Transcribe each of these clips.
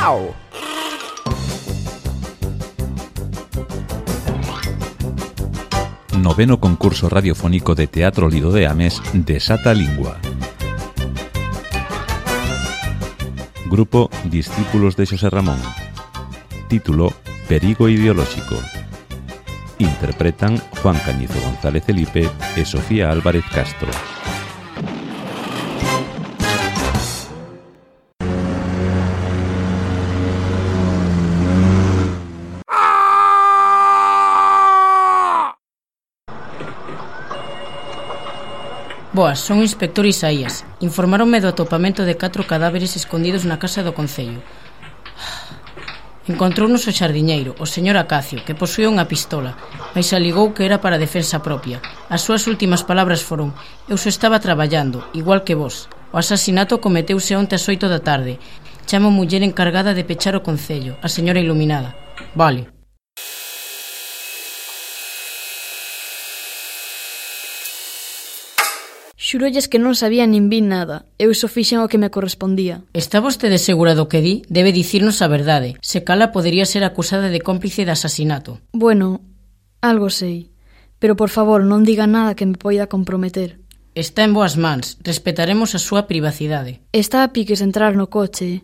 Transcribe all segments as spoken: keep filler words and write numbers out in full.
Au! Noveno concurso radiofónico de Teatro Lido de Ames Desata Lingua. Grupo Discípulos de Xosé Ramón. Título Perigo ideolóxico. Interpretan Juan Cañizo González Felipe e Sofía Álvarez Castro. Boas, son o inspector Isaías. Informaronme do atopamento de catro cadáveres escondidos na casa do concello. Encontrounos o xardiñeiro, o señor Acacio, que posuía unha pistola, mas aligou que era para defensa propia. As súas últimas palabras foron: eu só estaba traballando, igual que vos. O asasinato cometeuse onte ás oito da tarde. Chamo a muller encargada de pechar o concello, a señora Iluminada. Vale. Xurolles que non sabía nin vi nada. Eu só fixen o que me correspondía. Está vostede segura do que di? Debe dicirnos a verdade. Se cala, podería ser acusada de cómplice de asasinato. Bueno, algo sei. Pero, por favor, non diga nada que me poida comprometer. Está en boas mans. Respetaremos a súa privacidade. Está a piques entrar no coche.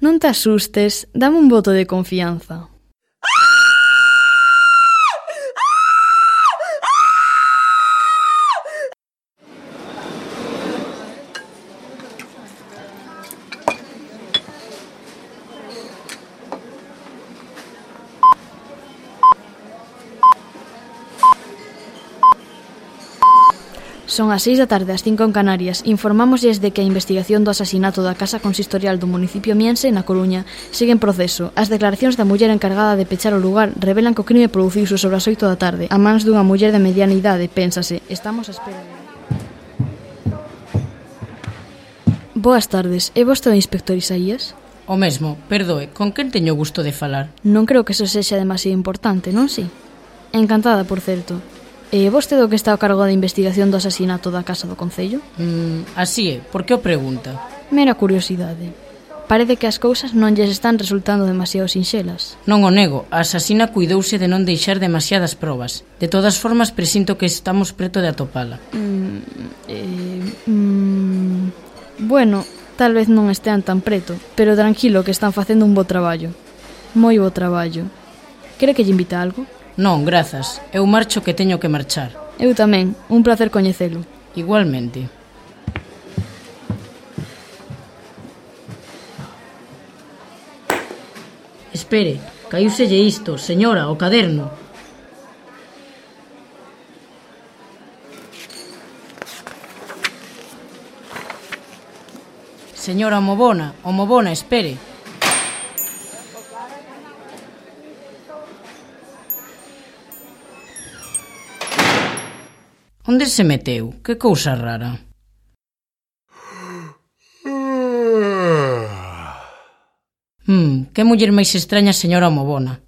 Non te asustes, dame un voto de confianza. Son as seis da tarde, as cinco en Canarias. Informámosles de que a investigación do asasinato da casa consistorial do municipio miense, na Coruña, sigue en proceso. As declaracións da muller encargada de pechar o lugar revelan que o crime produciuse sobre as oito da tarde, a mans dunha muller de mediana idade, pénsase. Estamos a espera de... Boas tardes, é vostede o inspector Isaías? O mesmo, perdoe, con quen teño gusto de falar? Non creo que eso sexa demasiado importante, non si? Encantada, por certo. E vostede o que está a cargo da investigación do asasinato da casa do concello? Mm, así é, por que o pregunta? Mera curiosidade. Parece que as cousas non lles están resultando demasiado sinxelas. Non o nego, a asasina cuidouse de non deixar demasiadas probas. De todas formas, presinto que estamos preto de atopala. Mm, eh, mm, bueno, tal vez non estean tan preto, pero tranquilo que están facendo un bo traballo. Moi bo traballo. Quere que lle invite a algo? Non, grazas. Eu marcho que teño que marchar. Eu tamén. Un placer coñecelo. Igualmente. Espere, caíuselle isto, señora, o caderno. Señora Omobona, Omobona, espere. Onde se meteu? Que cousa rara. Hmm, que muller máis extraña, señora Omobona.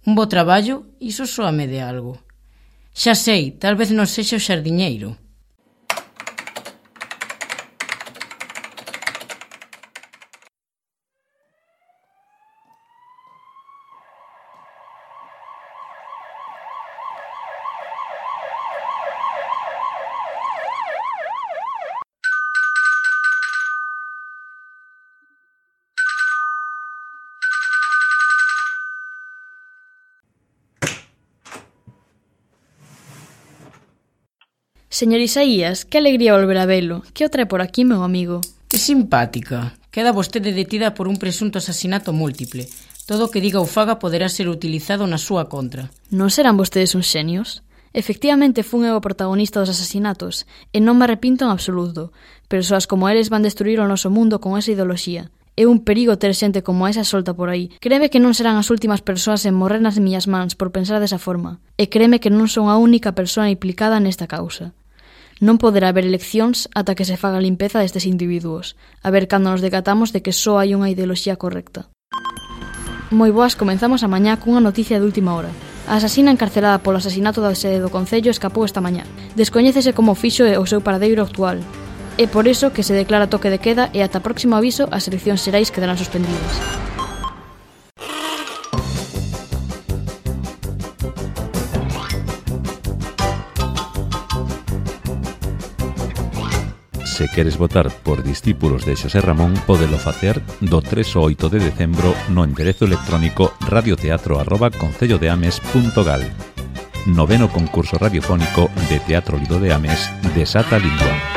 Un bo traballo, iso soame de algo. Xa sei, tal vez non sexa o xardiñeiro. Señor Isaías, que alegría volver a velo. Que o trae por aquí, meu amigo? Que simpática. Queda vostede detida por un presunto asasinato múltiple. Todo o que diga ou faga poderá ser utilizado na súa contra. Non serán vostedes uns xenios? Efectivamente, fun eu o protagonista dos asasinatos, e non me arrepinto en absoluto. Persoas como eles van destruir o noso mundo con esa ideoloxía. É un perigo ter xente como esa solta por aí. Créeme que non serán as últimas persoas en morrer nas miñas mans por pensar desa forma. E créeme que non son a única persoa implicada nesta causa. Non poderá haber eleccións ata que se faga a limpeza destes individuos, a ver cando nos decatamos de que só hai unha ideoloxía correcta. Moi boas, comenzamos a mañá cunha noticia de última hora. A asasina encarcelada polo asasinato da sede do Concello escapou esta mañá. Descoñécese como fixo o seu paradeiro actual. É por iso que se declara toque de queda e ata próximo aviso as eleccións xerais quedarán suspendidas. Se queres votar por discípulos de Xosé Ramón, pódelo facer do tres ao oito de decembro no enderezo electrónico radioteatro arroba concellodeames punto gal. Noveno concurso radiofónico de Teatro Lido de Ames, Desata Lingua.